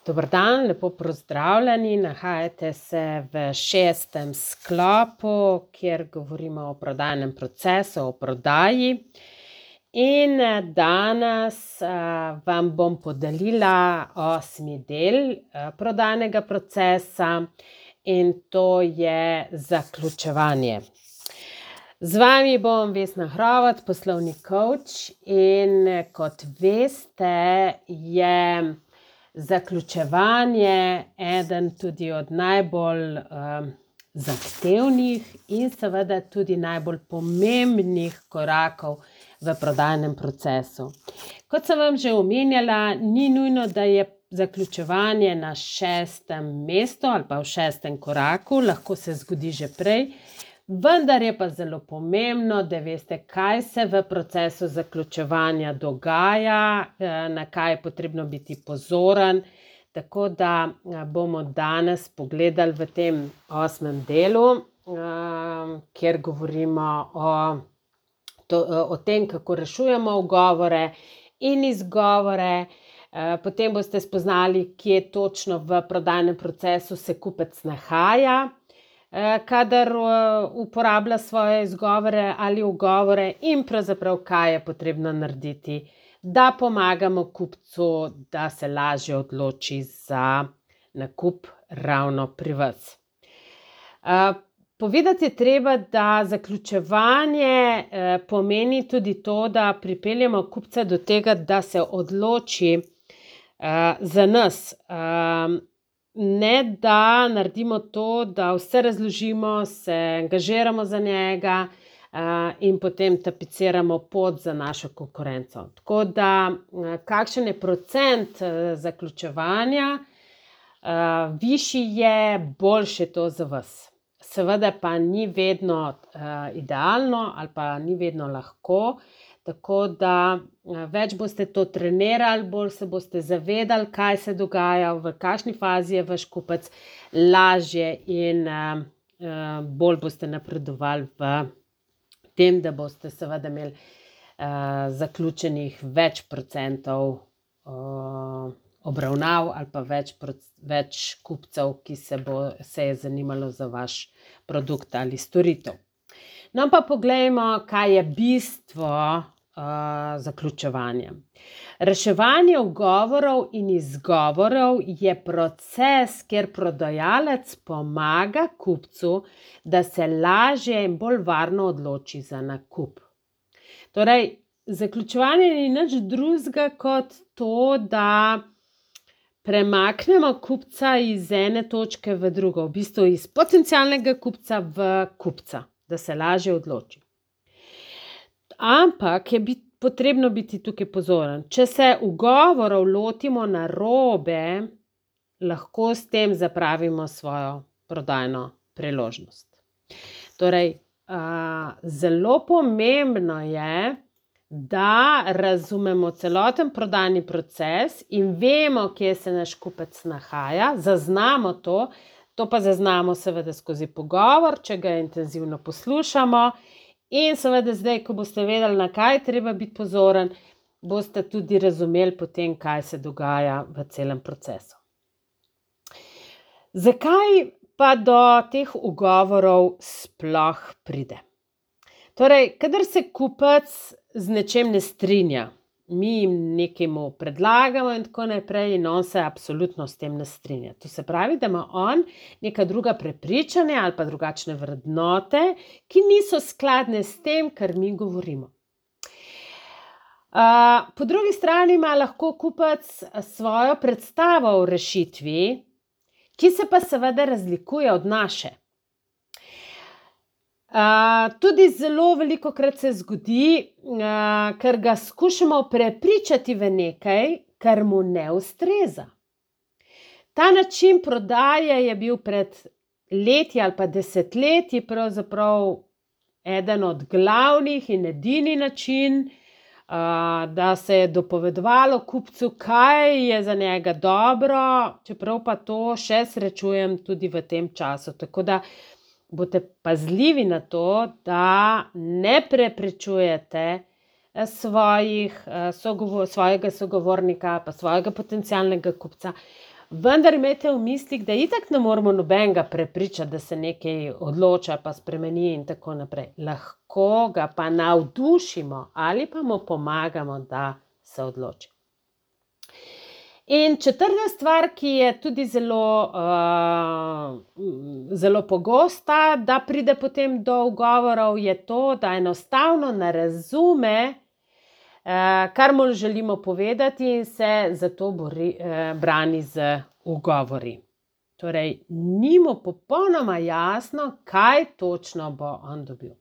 Dober dan, lepo pozdravljeni. Nahajate se v 6. sklopu, kjer govorimo o prodajnem procesu, o prodaji. In danes vam bom podelila 8. del prodajnega procesa in to je zaključevanje. Z vami bom Vesna Hrovat, poslovni coach, in kot veste, je zaključevanje eden tudi od najbolj zahtevnih in seveda tudi najbolj pomembnih korakov v prodajnem procesu. Kot sem vam že omenjala, ni nujno, da je zaključevanje na 6. mestu ali pa v 6. koraku, lahko se zgodi že prej, vendar je pa zelo pomembno, da veste, kaj se v procesu zaključevanja dogaja, na kaj je potrebno biti pozoren. Tako da bomo danes pogledali v tem 8. delu, kjer govorimo o tem, kako rešujemo ugovore in izgovore. Potem boste spoznali, kje točno v prodajnem procesu se kupec nahaja, kadar uporablja svoje izgovore ali ugovore, in pravzaprav kaj je potrebno narediti, da pomagamo kupcu, da se lažje odloči za nakup ravno pri vas. Povedati je treba, da zaključevanje pomeni tudi to, da pripeljemo kupca do tega, da se odloči za nas. Ne da naredimo to, da vse razložimo, se angažiramo za njega in potem tapiciramo pot za našo konkurenco. Tako da, kakšen je procent zaključevanja, višji je, boljše to za vas. Seveda pa ni vedno idealno ali pa ni vedno lahko, tako da več boste to trenirali, bolj se boste zavedali, kaj se dogaja, v kakšni fazi je vaš kupec, lažje in bolj boste napredovali v tem, da boste seveda imeli zaključenih več procentov obravnav ali pa več kupcev, ki se je zanimalo za vaš produkt ali storitev. No, pa poglejmo, kaj je bistvo zaključevanja. Reševanje ugovorov in izgovorov je proces, kjer prodajalec pomaga kupcu, da se lažje in bolj varno odloči za nakup. Torej, zaključevanje ni nič drugega kot to, da premaknemo kupca iz ene točke v drugo, v bistvu iz potencialnega kupca v kupca, da se lažje odloči. Ampak je potrebno biti tukaj pozoren. Če se ugovorov lotimo narobe, lahko s tem zapravimo svojo prodajno priložnost. Torej, zelo pomembno je, da razumemo celoten prodajni proces in vemo, kje se naš kupec nahaja, zaznamo to pa zaznamo seveda skozi pogovor, če ga intenzivno poslušamo. In seveda zdaj, ko boste vedeli, na kaj treba biti pozoren, boste tudi razumeli potem, kaj se dogaja v celem procesu. Zakaj pa do teh ugovorov sploh pride? Torej, kadar se kupec z nečem ne strinja, mi jim nekaj predlagamo in tako naprej, in on se absolutno s tem ne strinja. To se pravi, da ima on neka druga prepričanja ali pa drugačne vrednote, ki niso skladne s tem, kar mi govorimo. Po drugi strani ima lahko kupec svojo predstavo o rešitvi, ki se pa seveda razlikuje od naše. Tudi zelo velikokrat se zgodi, ker ga skušamo prepričati v nekaj, kar mu ne ustreza. Ta način prodaje je bil pred leti ali pa desetletji pravzaprav eden od glavnih in edini način, da se je dopovedovalo kupcu, kaj je za njega dobro, čeprav pa to še srečujem tudi v tem času. Tako da boste pazljivi na to, da ne prepričujete svojega sogovornika pa svojega potencialnega kupca Vendar imejte v mislih, da itak ne moramo nobenega prepričati, da se nekaj odloča, pa spremeni in tako naprej. Lahko ga pa navdušimo ali pa mu pomagamo, da se odloči. In četrta stvar, ki je tudi zelo pogosta, da pride potem do ugovorov, je to, da enostavno ne razume, kar mu želimo povedati in se zato brani z ugovori. Torej, ni mu popolnoma jasno, kaj točno bo on dobil.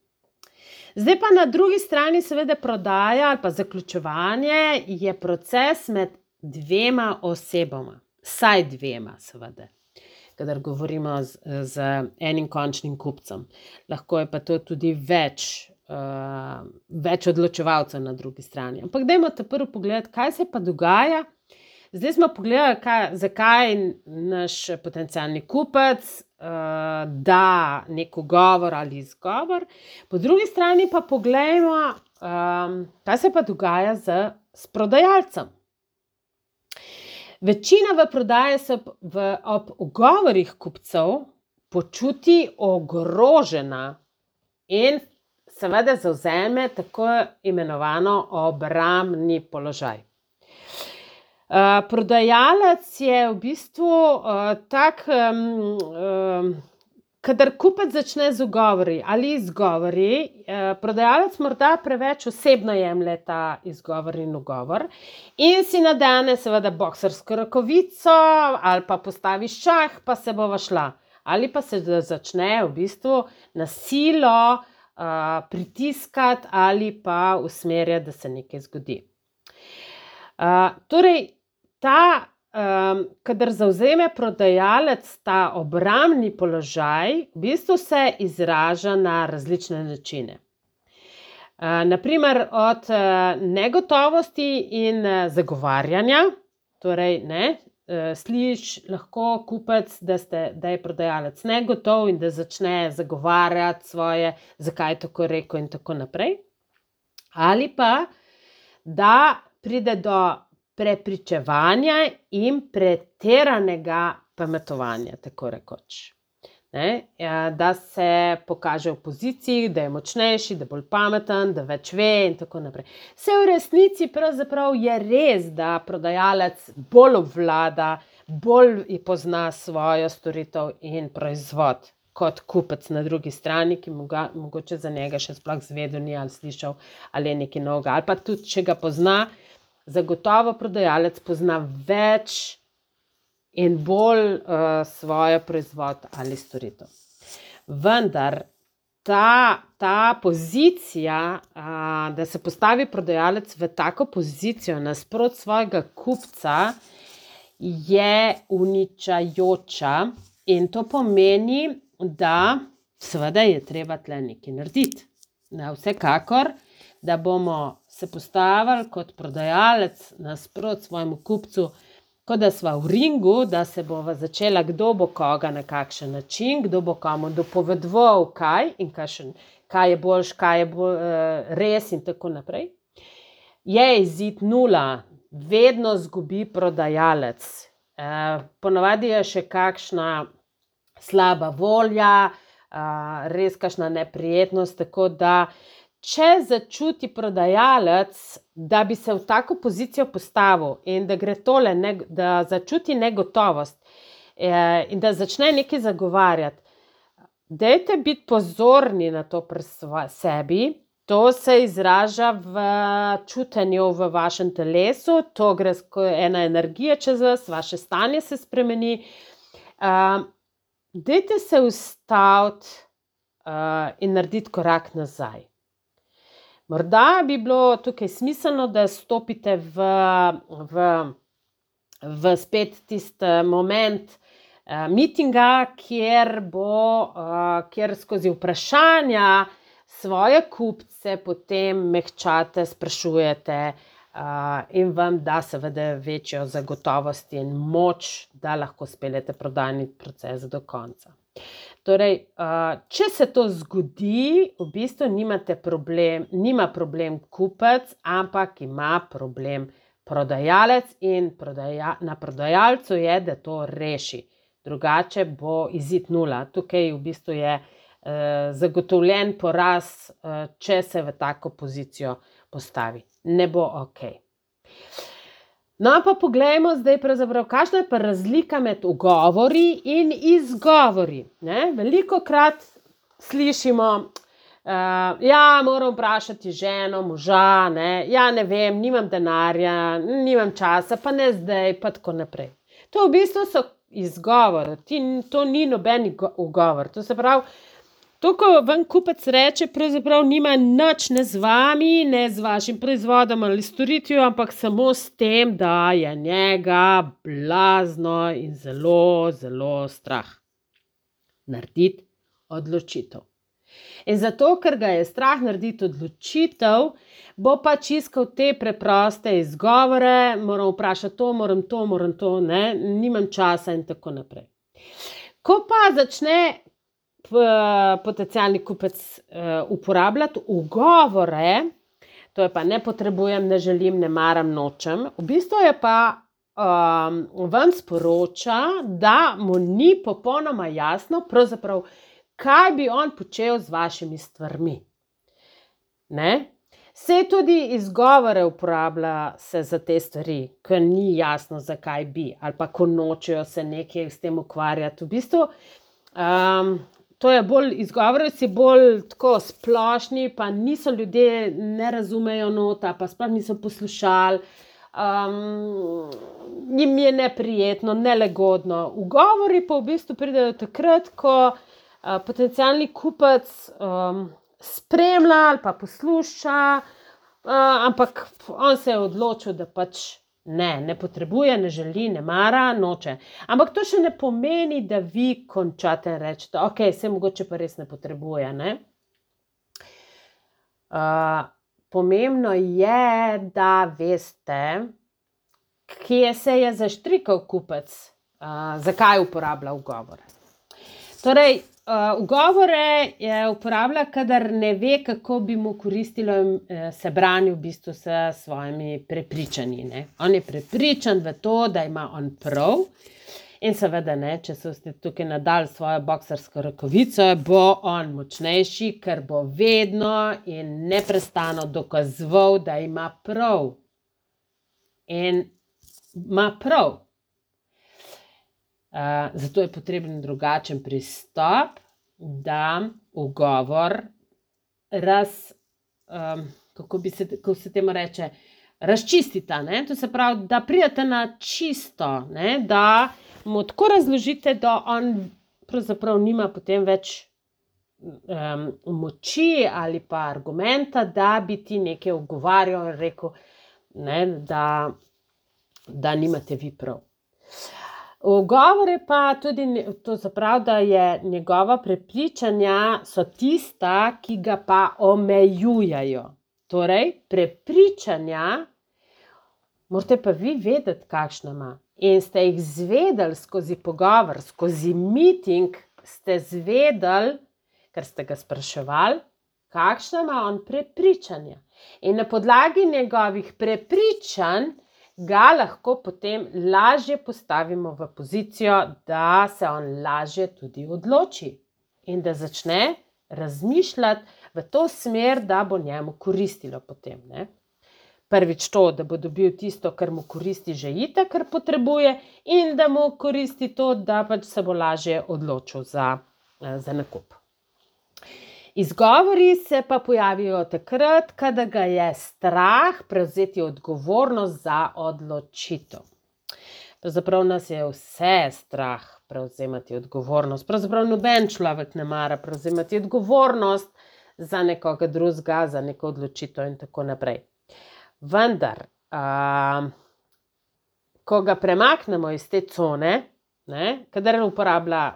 Zdaj pa na drugi strani seveda prodaja ali pa zaključevanje je proces med dvema osebama, vsaj dvema seveda, kadar govorimo z enim končnim kupcem. Lahko je pa to tudi več odločevalcev na drugi strani. Ampak dajmo te prvo pogledati, kaj se pa dogaja. Zdaj smo pogledali, zakaj naš potencialni kupec da nek ugovor ali izgovor. Po drugi strani pa poglejmo, kaj se pa dogaja s prodajalcem. Večina v prodaji se ob ugovorih kupcev počuti ogrožena in seveda zavzame tako imenovano obrambni položaj. Prodajalec je v bistvu tak, kadar kupec začne z ugovori ali izgovori, prodajalec morda preveč osebno jemlje ta izgovor in ugovor in si nadene seveda boksarsko rokavico ali pa postavi šah, pa se bova šla. Ali pa se začne v bistvu na silo pritiskati ali pa usmerjati, da se nekaj zgodi. Torej, kadar zavzame prodajalec ta obrambni položaj, v bistvu se izraža na različne načine. Naprimer, od negotovosti in zagovarjanja, torej sliši lahko kupec, da je prodajalec negotov in da začne zagovarjati svoje, zakaj je tako rekel in tako naprej. Ali pa, da pride do prepričevanja in pretiranega pametovanja, tako rekoč. Da se pokaže v poziciji, da je močnejši, da je bolj pameten, da več ve in tako naprej. Vse v resnici pravzaprav je res, da prodajalec bolj obvlada, bolj pozna svojo storitev in proizvod kot kupec na drugi strani, ki mogoče za njega še sploh zvedel ni ali slišal ali je nekaj novega. Ali pa tudi, če ga pozna, zagotovo prodajalec pozna več in bolj svojo proizvod ali storitev. Vendar ta pozicija, da se postavi prodajalec v tako pozicijo nasproti svojega kupca, je uničajoča in to pomeni, da seveda je treba tle nekaj narediti. Vsekakor, da bomo se postavili kot prodajalec nasproti svojemu kupcu, kot da sva v ringu, da se bova začela, kdo bo koga na kakšen način, kdo bo komu dopovedoval kaj in kaj je boljš, kaj je res in tako naprej. Je izid 0, vedno zgubi prodajalec. Ponavadi je še kakšna slaba volja, res kakšna neprijetnost, tako da če začuti prodajalec, da bi se v tako pozicijo postavil in da gre tole, da začuti negotovost in da začne nekaj zagovarjati, dajte biti pozorni na to pri sebi. To se izraža v čutenju v vašem telesu, to gre ena energija čez vas, vaše stanje se spremeni. Dajte se ustaviti in narediti korak nazaj. Morda bi bilo tukaj smiselno, da stopite v spet tisti moment mitinga, kjer skozi vprašanja svoje kupce potem mehčate, sprašujete in vam da seveda večjo zagotovost in moč, da lahko speljete prodajni proces do konca. Torej, če se to zgodi, v bistvu nima problem kupec, ampak ima problem prodajalec in na prodajalcu je, da to reši. Drugače bo izid 0. Tukaj v bistvu je zagotovljen poraz, če se v tako pozicijo postavi. Ne bo ok. No, pa poglejmo zdaj pravzaprav, kakšna je pa razlika med ugovori in izgovori. Velikokrat slišimo, moram vprašati ženo, moža, ne vem, nimam denarja, nimam časa, pa ne zdaj, pa tako naprej. To v bistvu so izgovori, to ni noben ugovor. To se pravi, to, ko vam kupec reče, pravzaprav nima nič ne z vami, ne z vašim proizvodom ali storitvijo, ampak samo s tem, da je njega blazno in zelo, zelo strah narediti odločitev. In zato, ker ga je strah narediti odločitev, bo pač iskal te preproste izgovore, moram vprašati to, moram to, nimam časa in tako naprej. Ko pa začne potencialni kupec uporabljati ugovore, to je pa ne potrebujem, ne želim, ne maram, nočem, v bistvu je pa vam sporoča, da mu ni popolnoma jasno, pravzaprav, kaj bi on počel z vašimi stvarmi. Saj tudi izgovore uporablja se za te stvari, ker ni jasno, zakaj bi, ali pa ko nočejo se nekaj s tem ukvarjati. V bistvu, to je bolj, izgovori si bolj tako splošni, pa niso ljudje, ne razumejo nota, pa sploh niso poslušali, jim je neprijetno, nelagodno. Ugovori pa v bistvu pridejo takrat, ko potencialni kupec spremlja ali pa posluša, ampak on se je odločil, da pač ne potrebuje, ne želi, ne mara, noče. Ampak to še ne pomeni, da vi končate in rečete, ok, se mogoče pa res ne potrebuje. Pomembno je, da veste, kje se je zaštrikal kupec, zakaj uporablja ugovore. Torej, ugovore uporablja, kadar ne ve, kako bi mu koristilo se brani v bistvu s svojimi prepričanji. On je prepričan v to, da ima on prav in seveda če se boste tukaj nadali svojo boksarsko rokavico, bo on močnejši, ker bo vedno in neprestano dokazoval, da ima prav. In ima prav. Zato je potreben drugačen pristop, da ugovor kako se temu reče, razčistita. To se pravi, da pridete na čisto, da mu tako razložite, da on pravzaprav nima potem več moči ali pa argumenta, da bi ti nekaj ugovarjal in rekel, da nimate vi prav. Ugovore pa tudi to zaprav, da je njegova prepričanja so tista, ki ga pa omejujajo. Torej, prepričanja morate pa vi vedeti, kakšna ima. In ste jih zvedeli skozi pogovor, skozi meeting ste zvedeli, ker ste ga spraševali, kakšna ima on prepričanja. In na podlagi njegovih prepričanj ga lahko potem lažje postavimo v pozicijo, da se on lažje tudi odloči in da začne razmišljati v to smer, da bo njemu koristilo potem. Prvič to, da bo dobil tisto, kar mu koristi že itak, kar potrebuje, in da mu koristi to, da pač se bo lažje odločil za nakup. Izgovori se pa pojavijo takrat, kadar ga je strah prevzeti odgovornost za odločitev. Pravzaprav nas je vse strah prevzemati odgovornost. Pravzaprav noben človek ne mara prevzemati odgovornost za nekoga drugega, za neko odločitev in tako naprej. Vendar, ko ga premaknemo iz te cone, kadar uporablja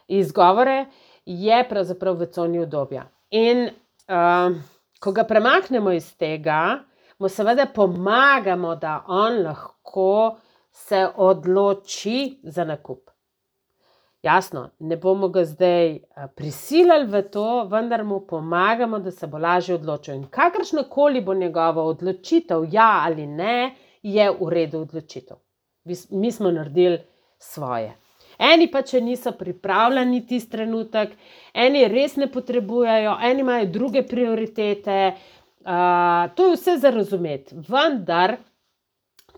izgovore, je pravzaprav v coni udobja. In ko ga premaknemo iz tega, mu seveda pomagamo, da on lahko se odloči za nakup. Jasno, ne bomo ga zdaj prisilili v to, vendar mu pomagamo, da se bo lažje odločil. In kakršnakoli bo njegova odločitev, ja ali ne, je v redu odločitev. Mi smo naredili svoje. Eni pa, če niso pripravljeni tisti trenutek, eni res ne potrebujejo, eni imajo druge prioritete, to je vse za razumeti. Vendar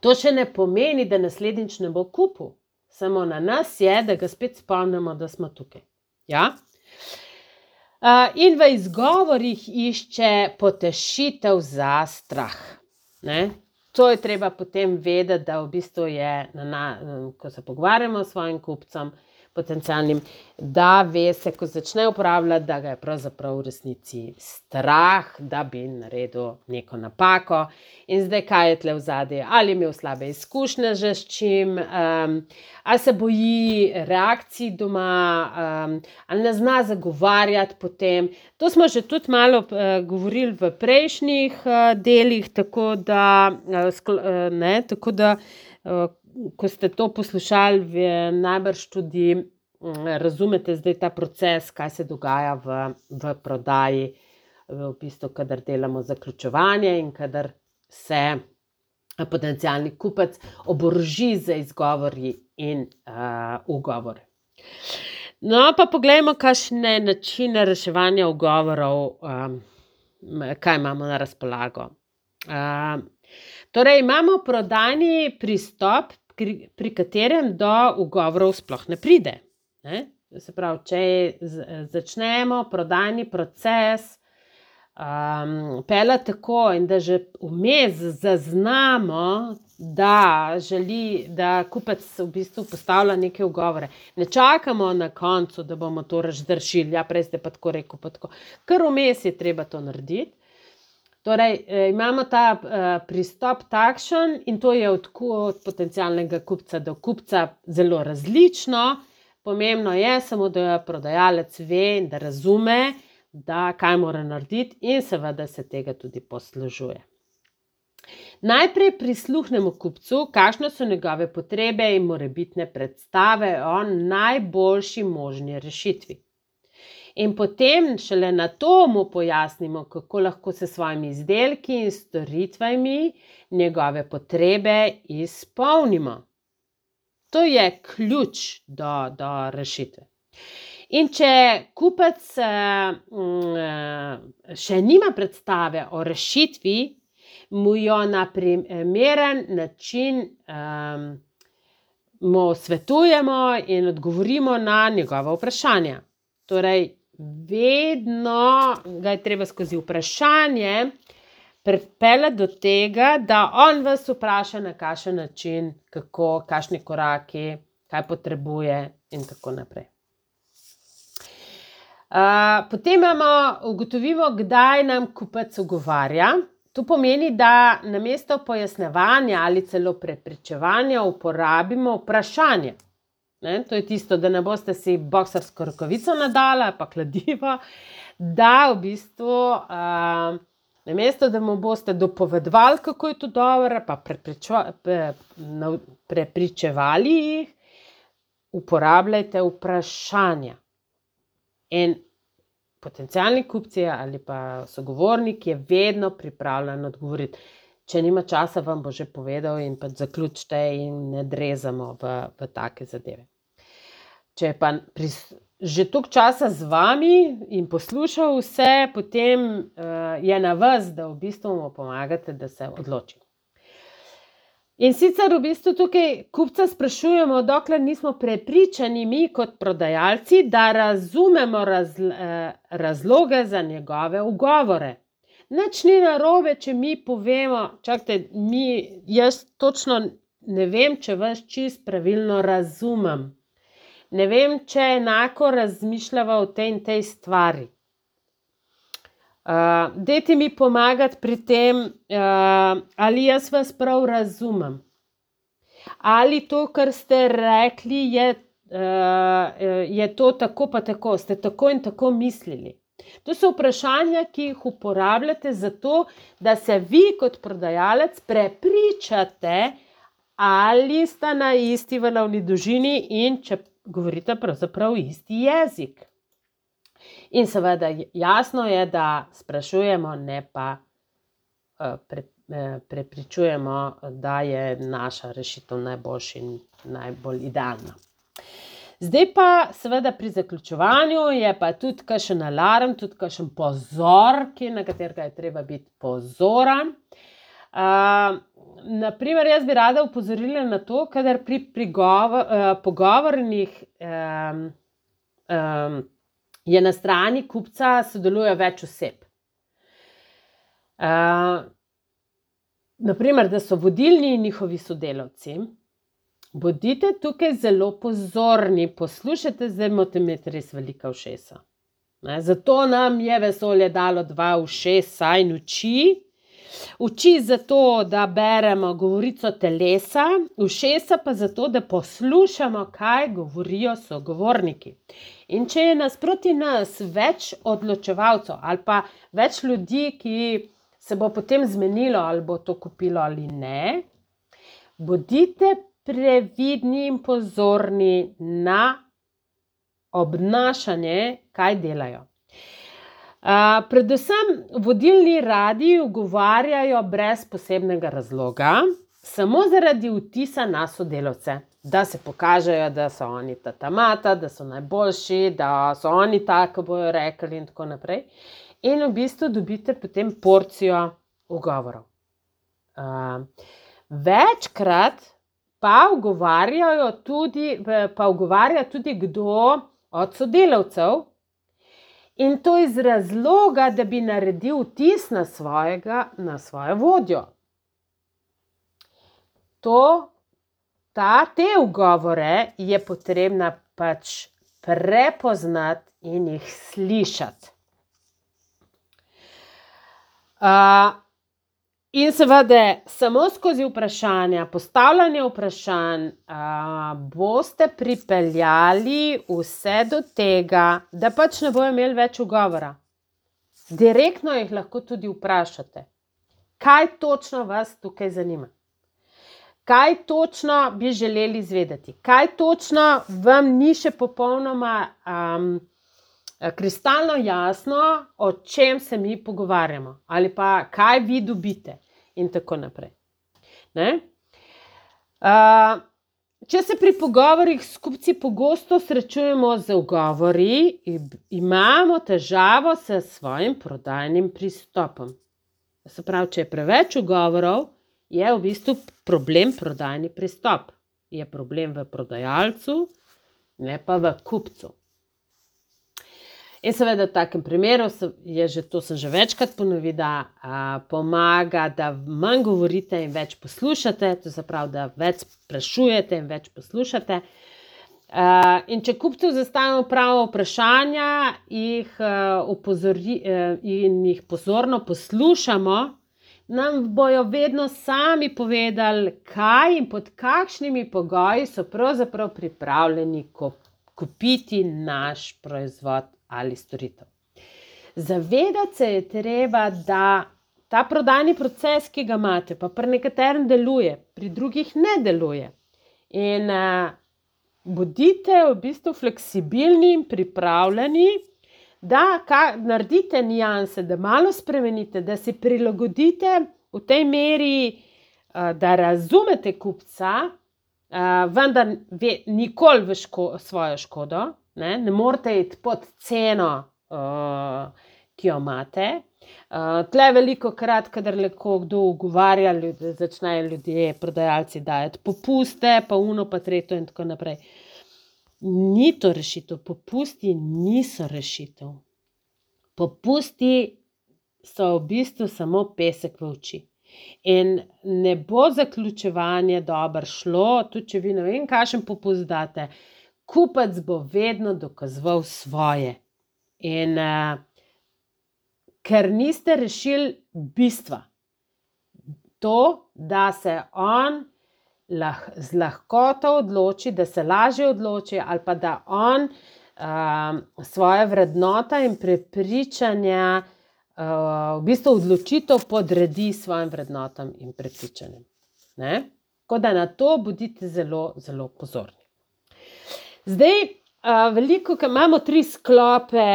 to še ne pomeni, da naslednjič ne bo kupil. Samo na nas je, da ga spet spomnimo, da smo tukaj. Ja? In v izgovorih išče potešitev za strah. Ne? To je treba potem vedeti, da v bistvu je, ko se pogovarjamo s svojim kupcem, potencialnim, da ve se, ko začne uporabljati, da ga je pravzaprav v resnici strah, da bi naredil neko napako. In zdaj, kaj je tle vzadje? Ali je imel slabe izkušnje že s čim, ali se boji reakcij doma, ali ne zna zagovarjati potem. To smo že tudi malo govorili v prejšnjih delih, tako da ko ste to poslušali, najbrž tudi razumete zdaj ta proces, kaj se dogaja v prodaji, v bistvu, kadar delamo zaključevanje in kadar se potencialni kupec oboroži z izgovori in ugovori. No, pa poglejmo, kakšne načine reševanja ugovorov, kaj imamo na razpolago. Torej, imamo prodajni pristop, pri katerem do ugovorov sploh ne pride. Se pravi, če začnemo prodajni proces peljati tako in da že vmes zaznamo, da kupec v bistvu postavlja neke ugovore. Ne čakamo na koncu, da bomo to razrešili, ja, prej ste pa tako rekel, pa tako. Kar vmes je treba to narediti. Torej, imamo ta pristop takšen in to je od potencialnega kupca do kupca zelo različno. Pomembno je samo, da prodajalec ve in da razume, kaj mora narediti in seveda se tega tudi poslužuje. Najprej prisluhnemo kupcu, kakšne so njegove potrebe in morebitne predstave o najboljši možni rešitvi. In potem šele na to mu pojasnimo, kako lahko se svojimi izdelki in storitvami njegove potrebe izpolnimo. To je ključ do rešitve. In če kupec še nima predstave o rešitvi, mu jo na primeren način mu svetujemo in odgovorimo na njegova vprašanja. Torej, vedno ga je treba skozi vprašanje pripeljati do tega, da on vas vpraša na kakšen način, kako, kakšni koraki, kaj potrebuje in tako naprej. Potem ugotovimo, kdaj nam kupec ugovarja. To pomeni, da namesto pojasnjevanja ali celo prepričevanja uporabimo vprašanje. To je tisto, da ne boste si boksarsko rokavico nadali ali pa kladivo, da v bistvu namesto, da mu boste dopovedovali, kako je to dobro, pa prepričevali jih, uporabljajte vprašanja. In potencialni kupci ali pa sogovornik je vedno pripravljen odgovoriti. Če nima časa, vam bo že povedal in pa zaključite in ne drezamo v take zadeve. Če je pa že toliko časa z vami in poslušal vse, potem je na vas, da v bistvu mu pomagate, da se odloči. In sicer v bistvu tukaj kupca sprašujemo, dokler nismo prepričani mi kot prodajalci, da razumemo razloge za njegove ugovore. Nič ni narobe, če mi povemo, čakajte, jaz točno ne vem, če vas čisto pravilno razumem. Ne vem, če enako razmišljava o tej in tej stvari. Dajte mi pomagati pri tem, ali jaz vas prav razumem. Ali to, kar ste rekli, je to tako pa tako, ste tako in tako mislili. To so vprašanja, ki jih uporabljate zato, da se vi kot prodajalec prepričate, ali sta na isti valovni dolžini in če govorite pravzaprav isti jezik. In seveda jasno je, da sprašujemo, ne pa prepričujemo, da je naša rešitev najboljša in najbolj idealna. Zdaj pa seveda pri zaključevanju je pa tudi kakšen alarm, tudi kakšen pozor, na katerega je treba biti pozoren. Naprimer, jaz bi rada opozorila na to, kadar pri pogovornih je na strani kupca sodeluje več oseb. Naprimer, da so vodilni njihovi sodelavci. Bodite tukaj zelo pozorni, poslušajte, zdaj morate imeti res velika ušesa. Zato nam je vesolje dalo 2 ušesa in oči. Oči zato, da beremo govorico telesa, ušesa pa zato, da poslušamo, kaj govorijo sogovorniki. In če je nasproti nas več odločevalcev ali pa več ljudi, ki se bo potem zmenilo, ali bo to kupilo ali ne, bodite previdni in pozorni na obnašanje, kaj delajo. Predvsem vodilni radi ugovarjajo brez posebnega razloga, samo zaradi vtisa na sodelavce, da se pokažejo, da so oni tatamata, da so najboljši, da so oni tako bojo rekli in tako naprej. In v bistvu dobite potem porcijo ugovorov. Večkrat pa ugovarja tudi kdo od sodelavcev, in to iz razloga, da bi naredil vtis na svojo vodjo. Te ugovore je potrebna pač prepoznati in jih slišati. In seveda samo skozi vprašanja, postavljanje vprašanj boste pripeljali vse do tega, da pač ne bojo imeli več ugovora. Direktno jih lahko tudi vprašate, kaj točno vas tukaj zanima. Kaj točno bi želeli izvedeti, kaj točno vam ni še popolnoma kristalno jasno, o čem se mi pogovarjamo, ali pa kaj vi dobite in tako naprej. Če se pri pogovorih s kupci pogosto srečujemo z ugovori, imamo težavo s svojim prodajnim pristopom. Se pravi, če je preveč ugovorov, je v bistvu problem prodajni pristop. Je problem v prodajalcu, ne pa v kupcu. In seveda v takem primeru, sem že večkrat ponovila, pomaga, da manj govorite in več poslušate, to se pravi, da več sprašujete in več poslušate. In če kupcu zastavimo pravo vprašanja in jih pozorno poslušamo, nam bojo vedno sami povedali, kaj in pod kakšnimi pogoji so pravzaprav pripravljeni kupiti naš proizvod ali storitev. Zavedati se je treba, da ta prodajni proces, ki ga imate, pa pri nekaterem deluje, pri drugih ne deluje. In bodite v bistvu fleksibilni in pripravljeni, da naredite nianse, da malo spremenite, da si prilagodite v tej meri, da razumete kupca, vendar nikoli v svojo škodo. Ne morete iti pod ceno, ki jo imate. Tle veliko krat, kadar kdo ugovarja, začnejo ljudje, prodajalci dajati popuste, pa uno, pa tretjo in tako naprej. Ni to rešitev, popusti niso rešitev. Popusti so v bistvu samo pesek v oči. In ne bo zaključevanje dobro šlo, tudi če vi ne vem, kakšen popust date, kupec bo vedno dokazoval svoje. In ker niste rešili bistva, to, da se on z lahkoto odloči, da se lažje odloči, ali pa da on svoje vrednote in prepričanja, v bistvu odločitev podredi svojim vrednotam in prepričanjem. Tako da na to bodite zelo, zelo pozorni. Zdaj, veliko, ker imamo 3 sklope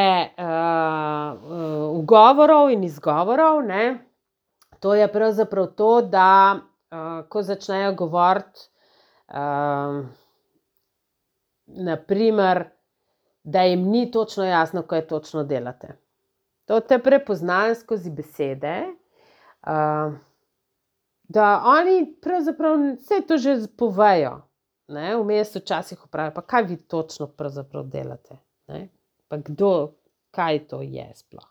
ugovorov in izgovorov, ne? To je pravzaprav to, da ko začnejo govoriti, naprimer, da jim ni točno jasno, kaj točno delate. To te prepoznajo skozi besede, da oni pravzaprav vse to že povejo. Vmes včasih vprašajo, pa kaj vi točno pravzaprav delate? Ne? Pa kaj to je sploh?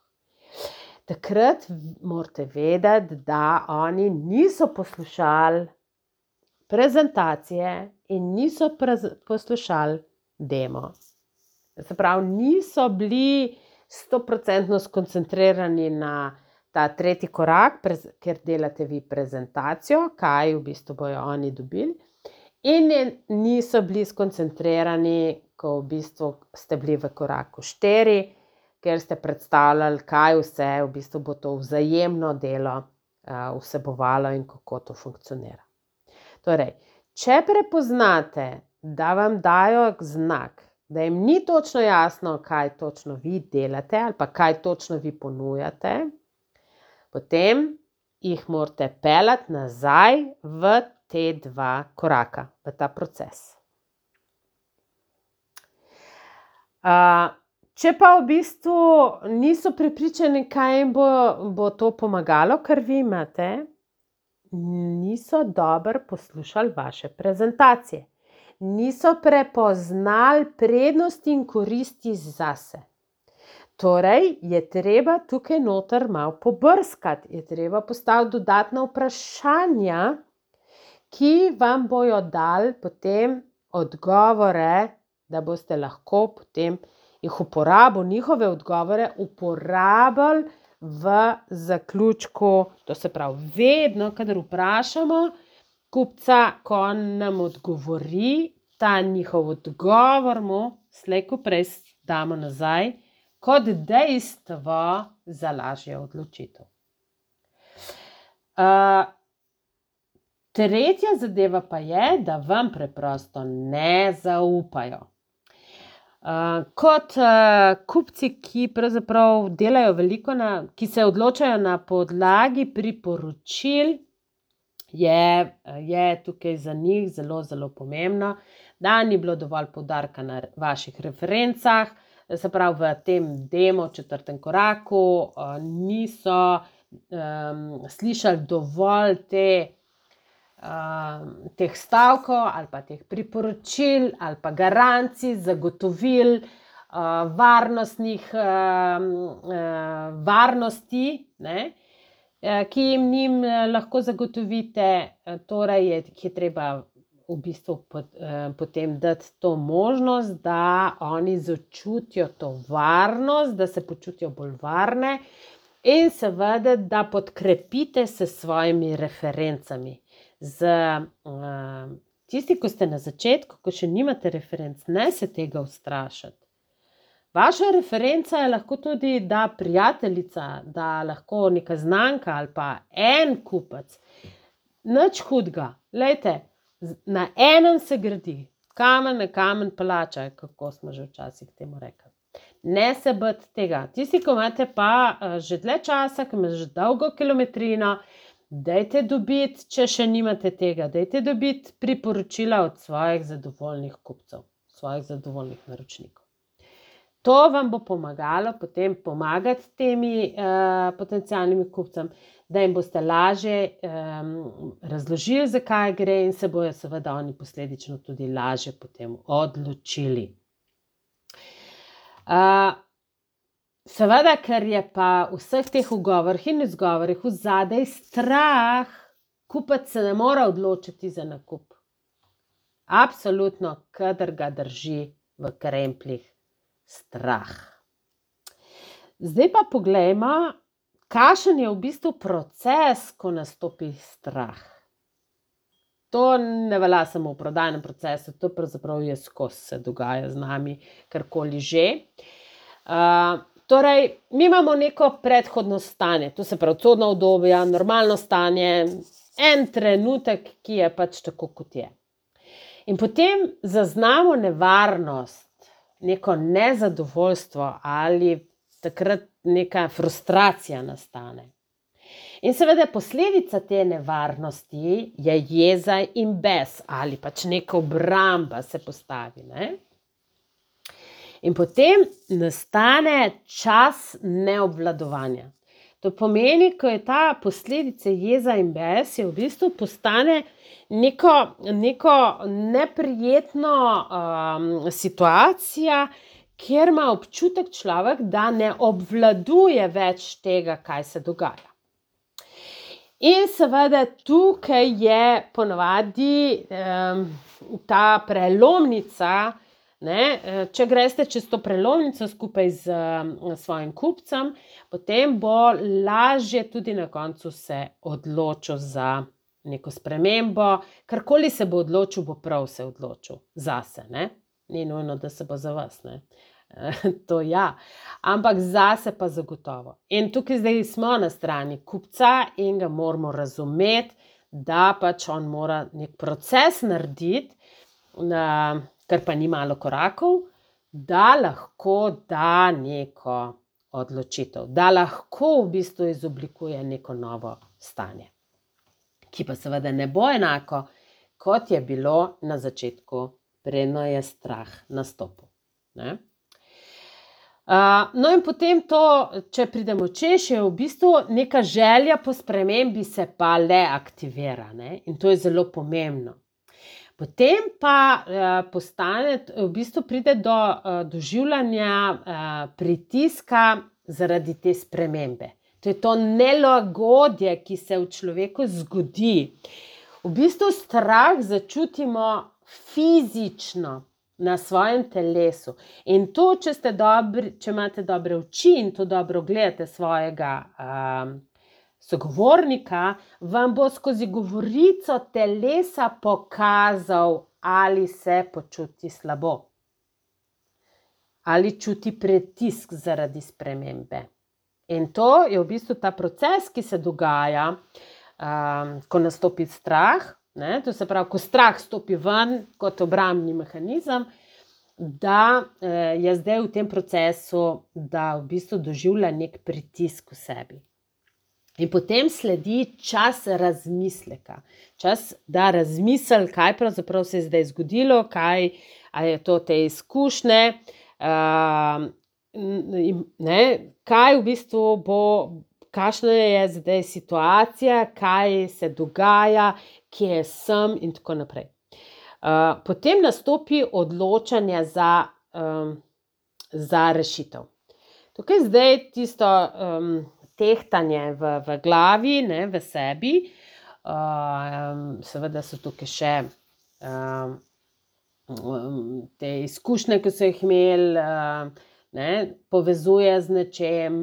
Takrat morate vedeti, da oni niso poslušali prezentacije in niso poslušali demo. Se pravi, niso bili 100% skoncentrirani na ta 3. korak, ker delate vi prezentacijo, kaj v bistvu bojo oni dobili. In niso bili skoncentrirani, ko v bistvu ste bili v koraku 4, ker ste predstavljali, kaj vse v bistvu bo to vzajemno delo vsebovalo in kako to funkcionira. Torej, če prepoznate, da vam dajo znak, da jim ni točno jasno, kaj točno vi delate ali pa kaj točno vi ponujate, potem jih morate peljati nazaj v te 2 koraka, v ta proces. Če pa v bistvu niso prepričani, kaj jim bo to pomagalo, kar vi imate, niso dobro poslušali vaše prezentacije. Niso prepoznali prednosti in koristi zase. Torej, je treba tukaj noter malo pobrskati, je treba postaviti dodatna vprašanja, ki vam bojo dali potem odgovore, da boste lahko potem njihove odgovore uporabili v zaključku. To se pravi, vedno, kadar vprašamo kupca, ko nam odgovori, ta njihov odgovor mu slej ko prej damo nazaj kot dejstvo za lažjo odločitev. Tretja zadeva pa je, da vam preprosto ne zaupajo. Kot kupci, ki pravzaprav delajo veliko, ki se odločajo na podlagi priporočil, je tukaj za njih zelo, zelo pomembno, da ni bilo dovolj poudarka na vaših referencah, se pravi v tem demo 4. koraku niso slišali dovolj teh stavkov ali pa teh priporočil ali pa garancij, zagotovil, varnosti, ne, ki jim lahko zagotovite. Torej je treba v bistvu potem dati to možnost, da oni začutijo to varnost, da se počutijo bolj varne in seveda, da podkrepite se svojimi referencami. Tisti, ko ste na začetku, ko še nimate referenc, ne se tega ustrašiti. Vaša referenca je lahko tudi, da prijateljica, da lahko neka znanka ali pa en kupec. Nič hudega. Glejte, na enem se gradi, kamen na kamen palača, kako smo že včasih temu rekli. Ne se bati tega. Tisti, ko imate pa že dlje časa, ko imate že dolgo kilometrino, dajte dobiti, če še nimate tega, dajte dobiti priporočila od svojih zadovoljnih kupcev, svojih zadovoljnih naročnikov. To vam bo pomagalo potem pomagati temi potencialnimi kupcem, da jim boste lažje razložili, zakaj gre in se bojo seveda oni posledično tudi lažje potem odločili. Seveda, ker je pa v vseh teh ugovorih in izgovorih vzadej strah, kupec se ne more odločiti za nakup. Absolutno, kadar ga drži v krempljih strah. Zdaj pa poglejmo, kakšen je v bistvu proces, ko nastopi strah. To ne velja samo v prodajnem procesu, to pravzaprav je skozi se dogaja z nami, karkoli že. Torej, mi imamo neko predhodno stanje, to se pravi codno obdobje, normalno stanje, en trenutek, ki je pač tako, kot je. In potem zaznamo nevarnost, neko nezadovoljstvo ali takrat neka frustracija nastane. In seveda posledica te nevarnosti je jeza in bes ali pač neka obramba se postavi, ne? In potem nastane čas neobvladovanja. To pomeni, ko je ta posledica jeza in bes, je v bistvu postane neko neprijetno situacija, kjer ima občutek človek, da ne obvladuje več tega, kaj se dogaja. In seveda tukaj je ponavadi ta prelomnica, ne, če greste čez to prelomnico skupaj z svojim kupcem, potem bo lažje tudi na koncu se odločil za neko spremembo. Karkoli se bo odločil, bo prav se odločil zase, ne. Ni nujno, da se bo za vas, ne. To ja, ampak zase pa zagotovo. In tukaj zdaj smo na strani kupca in ga moramo razumeti, da pač on mora nek proces narediti, ker pa ni malo korakov, da lahko da neko odločitev, da lahko v bistvu izoblikuje neko novo stanje, ki pa seveda ne bo enako, kot je bilo na začetku, preden je strah nastopil, ne. No in potem to, če pridemo čez, je v bistvu neka želja po spremembi se pa le aktivira, ne, in to je zelo pomembno. Potem pa v bistvu pride do doživljanja pritiska zaradi te spremembe. To je to nelagodje, ki se v človeku zgodi. V bistvu strah začutimo fizično na svojem telesu. In to, če imate dobre oči in to dobro gledate svojega sogovornika, vam bo skozi govorico telesa pokazal, ali se počuti slabo, ali čuti pritisk zaradi spremembe. In to je v bistvu ta proces, ki se dogaja, ko nastopi strah, ne, to se pravi, ko strah stopi ven kot obrambni mehanizem, da je zdaj v tem procesu, da v bistvu doživlja nek pritisk v sebi. In potem sledi čas razmisleka. Čas, da razmisli, kaj pravzaprav se je zdaj zgodilo, kaj je to te izkušnje, ne, kaj v bistvu bo, kakšna je zdaj situacija, kaj se dogaja, kje sem in tako naprej. Potem nastopi odločanje za rešitev. Tukaj zdaj tisto tehtanje v glavi, ne, v sebi, seveda so tukaj še te izkušnje, ki so jih imeli, ne, povezuje z nečem,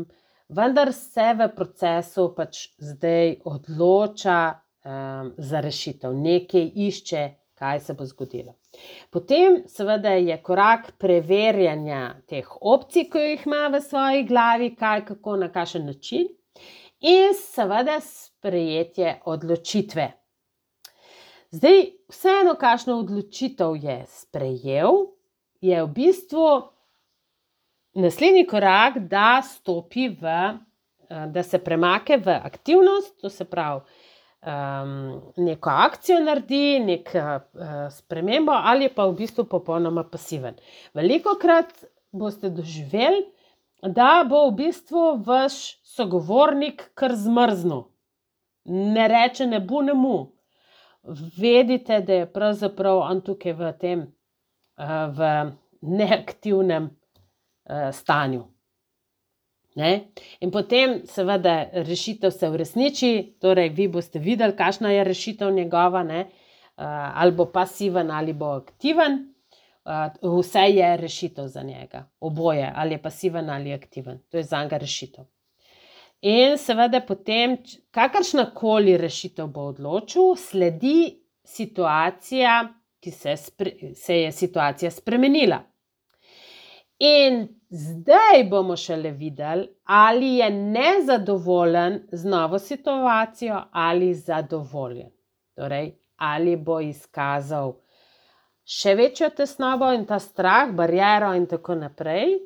vendar se v procesu pač zdaj odloča za rešitev, nekaj išče, kaj se bo zgodilo. Potem seveda je korak preverjanja teh opcij, ki jih ima v svoji glavi, kaj, kako, na kakšen način, in seveda sprejetje odločitve. Zdaj, vseeno, kakšno odločitev je sprejel, je v bistvu naslednji korak, da stopi da se premakne v aktivnost, to se pravi, neko akcijo naredi, neko spremembo ali pa v bistvu popolnoma pasiven. Velikokrat boste doživeli, da bo v bistvu vaš sogovornik kar zmrznil. Ne reče ne bu, ne mu. Vedite, da je pravzaprav on tukaj v tem, v neaktivnem stanju. Ne? In potem seveda rešitev se uresniči, torej vi boste videli, kakšna je rešitev njegova, ne? Ali bo pasiven ali bo aktiven, vse je rešitev za njega, oboje, ali je pasiven ali aktiven, to je zanj rešitev. In seveda potem, kakršnakoli rešitev bo odločil, sledi situacija, ki se je situacija spremenila. In zdaj bomo šele videli, ali je nezadovoljen z novo situacijo ali zadovoljen. Torej, ali bo izkazal še večjo tesnobo in ta strah, bariero in tako naprej,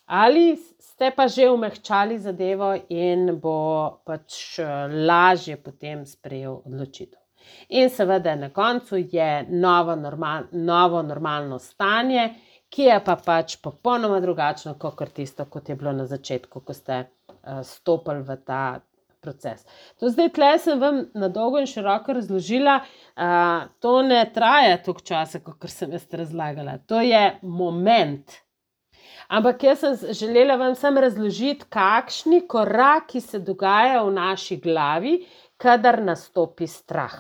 ali ste pa že umehčali zadevo in bo pač lažje potem sprejel odločitev. In seveda na koncu je novo normalno stanje, ki je pa pač popolnoma drugačno, kot tisto, kot je bilo na začetku, ko ste stopili v ta proces. To zdaj tle sem vam na dolgo in široko razložila, to ne traja toliko časa, kot sem jaz razlagala. To je moment. Ampak jaz sem želela vam samo razložiti, kakšni koraki se dogajajo v naši glavi, kadar nastopi strah.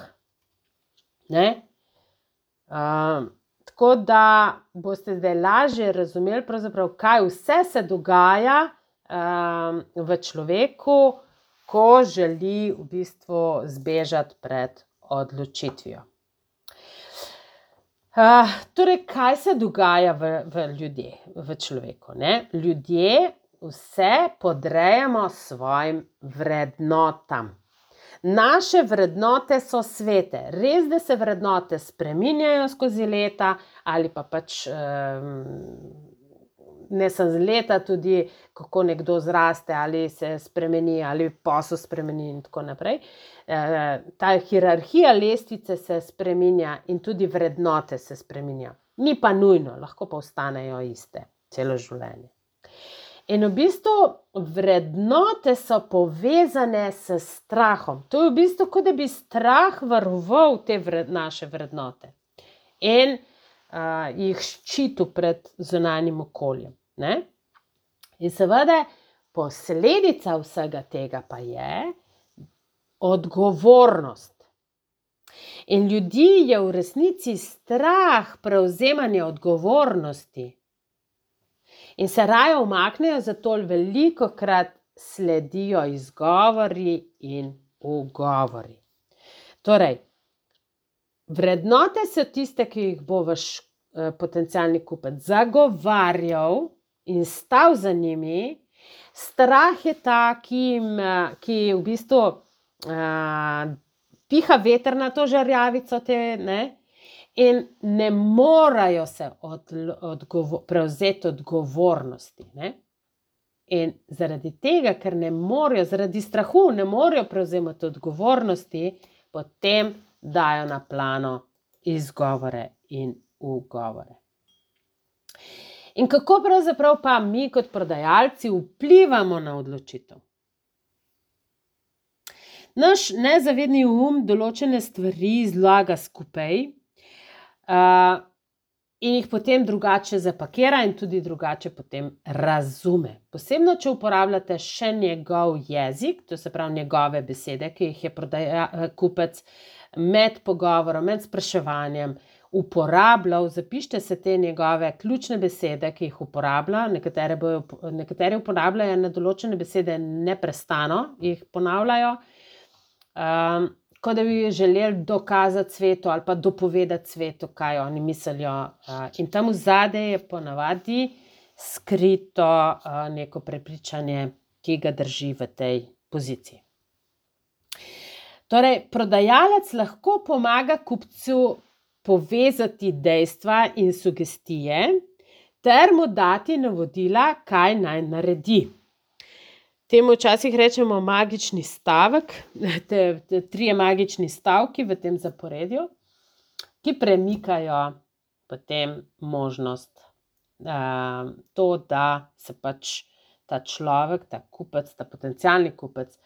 Ne? Tako da boste zdaj lažje razumeli, pravzaprav, kaj vse se dogaja v človeku, ko želi v bistvu zbežati pred odločitvijo. Torej, kaj se dogaja v ljudeh, v človeku? Ne? Ljudje vse podrejamo svojim vrednotam. Naše vrednote so svete. Res, da se vrednote spreminjajo skozi leta ali pa pač ne samo z leta, tudi kako nekdo zraste ali se spremeni ali posel spremeni in tako naprej. Ta hierarhija lestvice se spreminja in tudi vrednote se spreminja. Ni pa nujno, lahko pa ostanejo iste celo življenje. In v bistvu vrednote so povezane s strahom. To je v bistvu, kot da bi strah varoval te naše vrednote in jih ščitil pred zunanjim okoljem. Ne? In seveda posledica vsega tega pa je odgovornost. In ljudi je v resnici strah prevzemanja odgovornosti. In se raje umaknejo, zato velikokrat sledijo izgovori in ugovori. Torej, vrednote so tiste, ki jih bo vaš potencialni kupec zagovarjal in stal za njimi. Strah je ta, ki v bistvu piha veter na to žarjavico ne? In ne morajo se prevzeti odgovornosti. Ne? In zaradi tega, ker ne morajo, zaradi strahu ne morajo prevzemati odgovornosti, potem dajo na plano izgovore in ugovore. In kako pravzaprav pa mi kot prodajalci vplivamo na odločitev? Naš nezavedni določene stvari zlaga skupaj in jih potem drugače zapakira in tudi drugače potem razume. Posebno, če uporabljate še njegov jezik, to se pravi njegove besede, ki jih je kupec med pogovorom, med spraševanjem uporabljal, zapišite se te njegove ključne besede, ki jih uporablja. Nekateri uporabljajo na določene besede neprestano, jih ponavljajo, kot da bi želeli dokazati svetu ali pa dopovedati svetu, kaj oni mislijo. In tam vzadej je ponavadi skrito neko prepričanje, ki ga drži v tej poziciji. Torej, prodajalec lahko pomaga kupcu povezati dejstva in sugestije ter mu dati navodila, kaj naj naredi. Temu včasih rečemo magični stavek, trije magični stavki v tem zaporedju, ki premikajo potem možnost, to, da se pač ta človek, ta kupec, ta potencialni kupec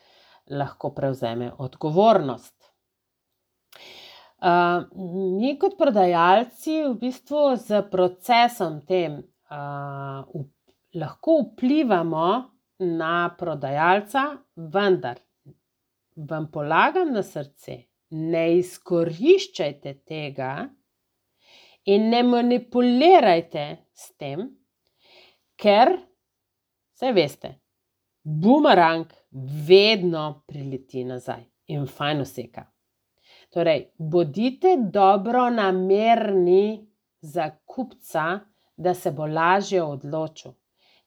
lahko prevzeme odgovornost. Mi kot prodajalci v bistvu z procesom tem lahko vplivamo na prodajalca, vendar vam polagam na srce, ne izkoriščajte tega in ne manipulirajte s tem, ker, saj veste, bumerang vedno prileti nazaj in fajn useka. Torej, bodite dobronamerni za kupca, da se bo lažje odločil.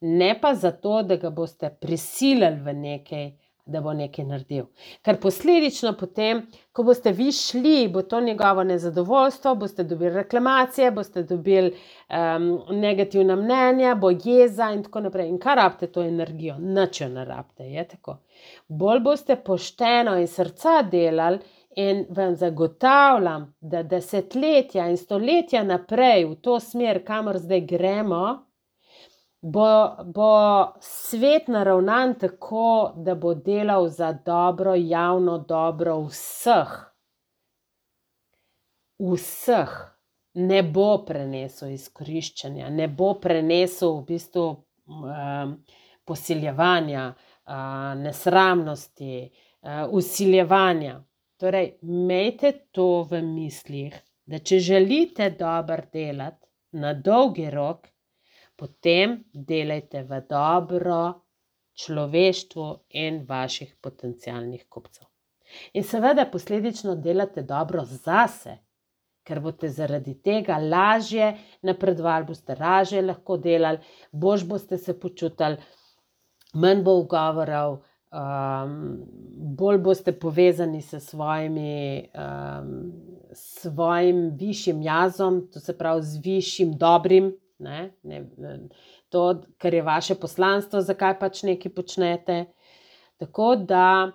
Ne pa zato, da ga boste prisilili v nekaj, da bo nekaj naredil. Ker posledično potem, ko boste vi šli, bo to njegovo nezadovoljstvo, boste dobili reklamacije, boste dobili negativna mnenja, bo jeza in tako naprej. In kaj rabite to energijo? Nič jo ne rabite, je tako. Bolj boste pošteno in srca delali in vam zagotavljam, da desetletja in stoletja naprej v to smer, kamor zdaj gremo, bo svet naravnan tako, da bo delal za dobro, javno dobro vseh. Vseh. Ne bo prenesel izkoriščanja, ne bo prenesel v bistvu posiljevanja, nesramnosti, vsiljevanja. Torej, imejte to v mislih, da če želite dobro delati na dolgi rok, potem delajte v dobro človeštvu in vaših potencialnih kupcev. In seveda posledično delate dobro zase, ker boste zaradi tega lažje napredovali, boste lažje lahko delali, boljše boste se počutili, manj bo ugovorov, bolj boste povezani s svojim višjim jazom, to se pravi z višjim dobrim, to, kar je vaše poslanstvo, zakaj pač nekaj počnete. Tako da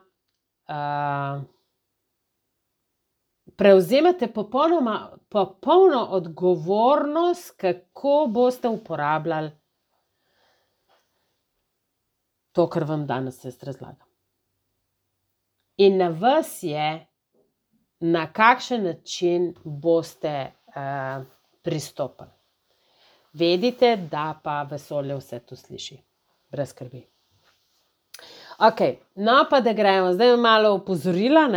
prevzemate popolno odgovornost, kako boste uporabljali to, kar vam danes jaz razlagam. In na vas je, na kakšen način boste pristopili. Vedite, da pa vesolje vse to sliši. Brez skrbi. Ok, no pa da gremo. Zdaj malo opozorila,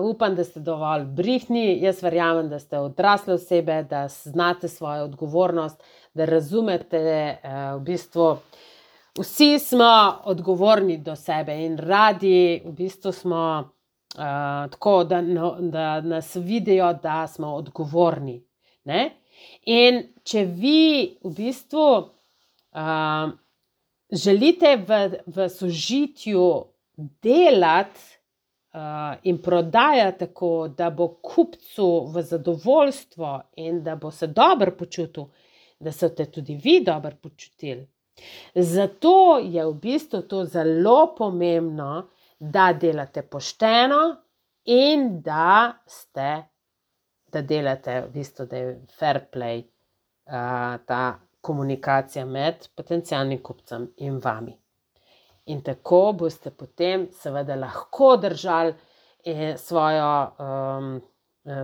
upam, da ste dovolj brihtni. Jaz verjamem, da ste odrasle osebe, da znate svojo odgovornost, da razumete v bistvu. Vsi smo odgovorni do sebe in radi v bistvu smo tako, da nas vidijo, da smo odgovorni. In če vi v bistvu želite v sožitju delati in prodajati tako, da bo kupcu v zadovoljstvo in da bo se dobro počutil, da se boste tudi vi dobro počutili. Zato je v bistvu to zelo pomembno, da delate pošteno in da delate v bistvu, da je fair play ta komunikacija med potencialnim kupcem in vami. In tako boste potem seveda lahko držali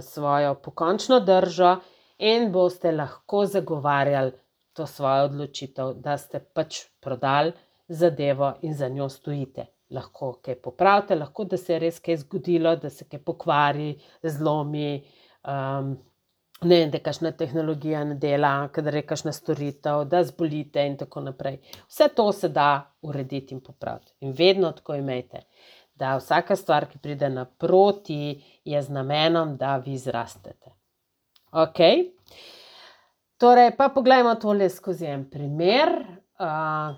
svojo pokončno držo in boste lahko zagovarjali to svojo odločitev, da ste pač prodali zadevo in za njo stojite. Lahko kaj popravite, lahko da se je res kaj zgodilo, da se kaj pokvari, zlomi, ne vem, da kakšna tehnologija ne dela, kadar je kakšna storitev, da zbolite in tako naprej. Vse to se da urediti in popraviti. In vedno tako imejte, da vsaka stvar, ki pride naproti, je z namenom, da vi zrastete. Ok? Torej, pa poglejmo tole skozi en primer,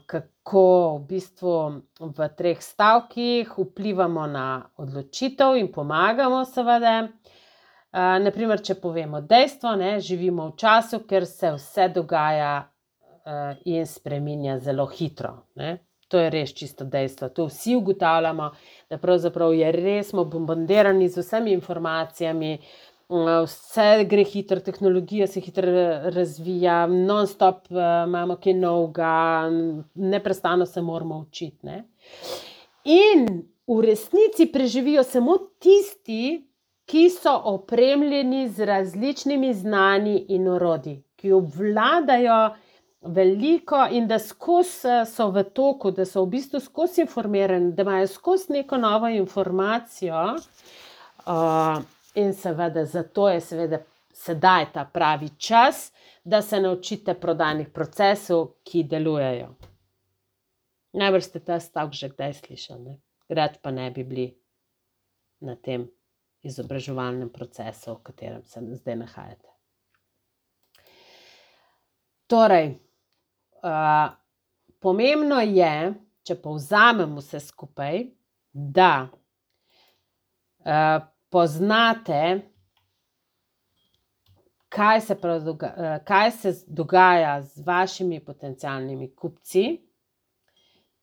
kako v bistvu v 3 stavkih vplivamo na odločitev in pomagamo seveda. Naprimer, če povemo dejstvo, živimo v času, ker se vse dogaja in spreminja zelo hitro. To je res čisto dejstvo. To vsi ugotavljamo, da pravzaprav je res, smo bombardirani z vsemi informacijami, vse gre hitro, tehnologija se hitro razvija, non-stop imamo kaj novega, neprestano se moramo učiti. In v resnici preživijo samo tisti, ki so opremljeni z različnimi znanji in orodji, ki obvladajo veliko in da skozi so v toku, da so v bistvu skozi informirani, da imajo skozi neko novo informacijo. In seveda zato je seveda sedaj ta pravi čas, da se naučite prodajnih procesov, ki delujejo. Najbrž ste ta stavek že kdaj slišali, rad pa ne bi bili na tem izobraževalnem procesu, v katerem se zdaj nahajate. Torej, pomembno je, če povzamem vse skupaj, da poznate, kaj se dogaja z vašimi potencialnimi kupci.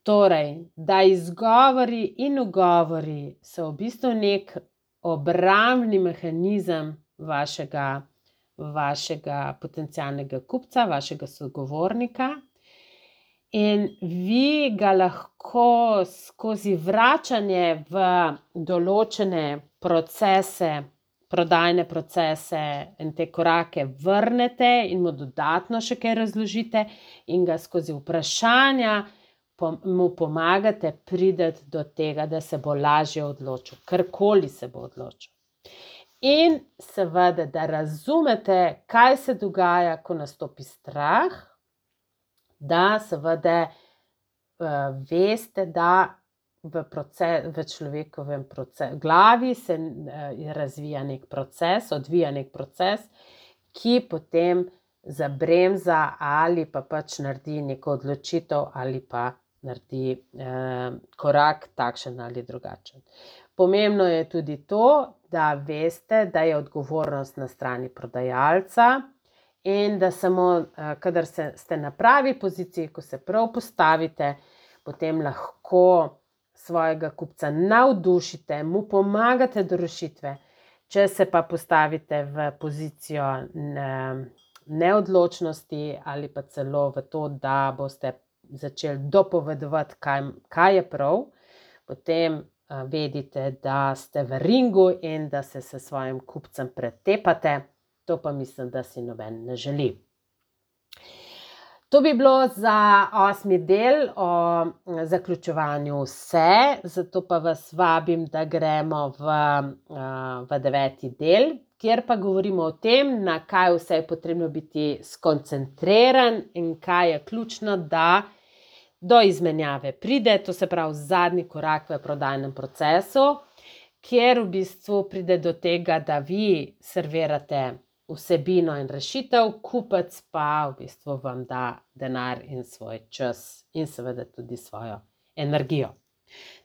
Torej, da izgovori in ugovori so v bistvu nek obrambni mehanizem vašega potencialnega kupca, vašega sogovornika. In vi ga lahko skozi vračanje v določene procese, prodajne procese in te korake vrnete in mu dodatno še kaj razložite in ga skozi vprašanja mu pomagate priti do tega, da se bo lažje odločil, karkoli se bo odločil. In seveda, da razumete, kaj se dogaja, ko nastopi strah, da seveda veste, da v človekovem glavi se razvija nek proces, odvija nek proces, ki potem zabremza ali pa pač naredi neko odločitev ali pa naredi korak takšen ali drugačen. Pomembno je tudi to, da veste, da je odgovornost na strani prodajalca in da samo, kadar ste na pravi poziciji, ko se prav postavite, potem lahko svojega kupca navdušite, mu pomagate do rešitve. Če se pa postavite v pozicijo neodločnosti ali pa celo v to, da boste začeli dopovedovati, kaj je prav, potem vedite, da ste v ringu in da se s svojim kupcem pretepate. To pa mislim, da si noben ne želi. To bi bilo za 8. del o zaključevanju vse, zato pa vas vabim, da gremo v 9. del, kjer pa govorimo o tem, na kaj vse je potrebno biti skoncentriran in kaj je ključno, da do izmenjave pride, to se pravi zadnji korak v prodajnem procesu, kjer v bistvu pride do tega, da vi servirate vsebino in rešitev, kupec pa v bistvu vam da denar in svoj čas in seveda tudi svojo energijo.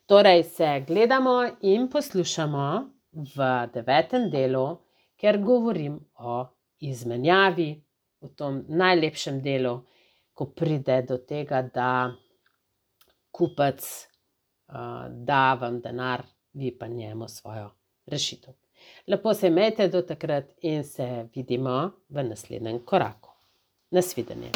Torej se gledamo in poslušamo v 9. delu, ker govorim o izmenjavi, v tom najlepšem delu, ko pride do tega, da kupec da vam denar, vi pa njemu svojo rešitev. Lepo se imejte do takrat in se vidimo v naslednjem koraku. Nasvidenje.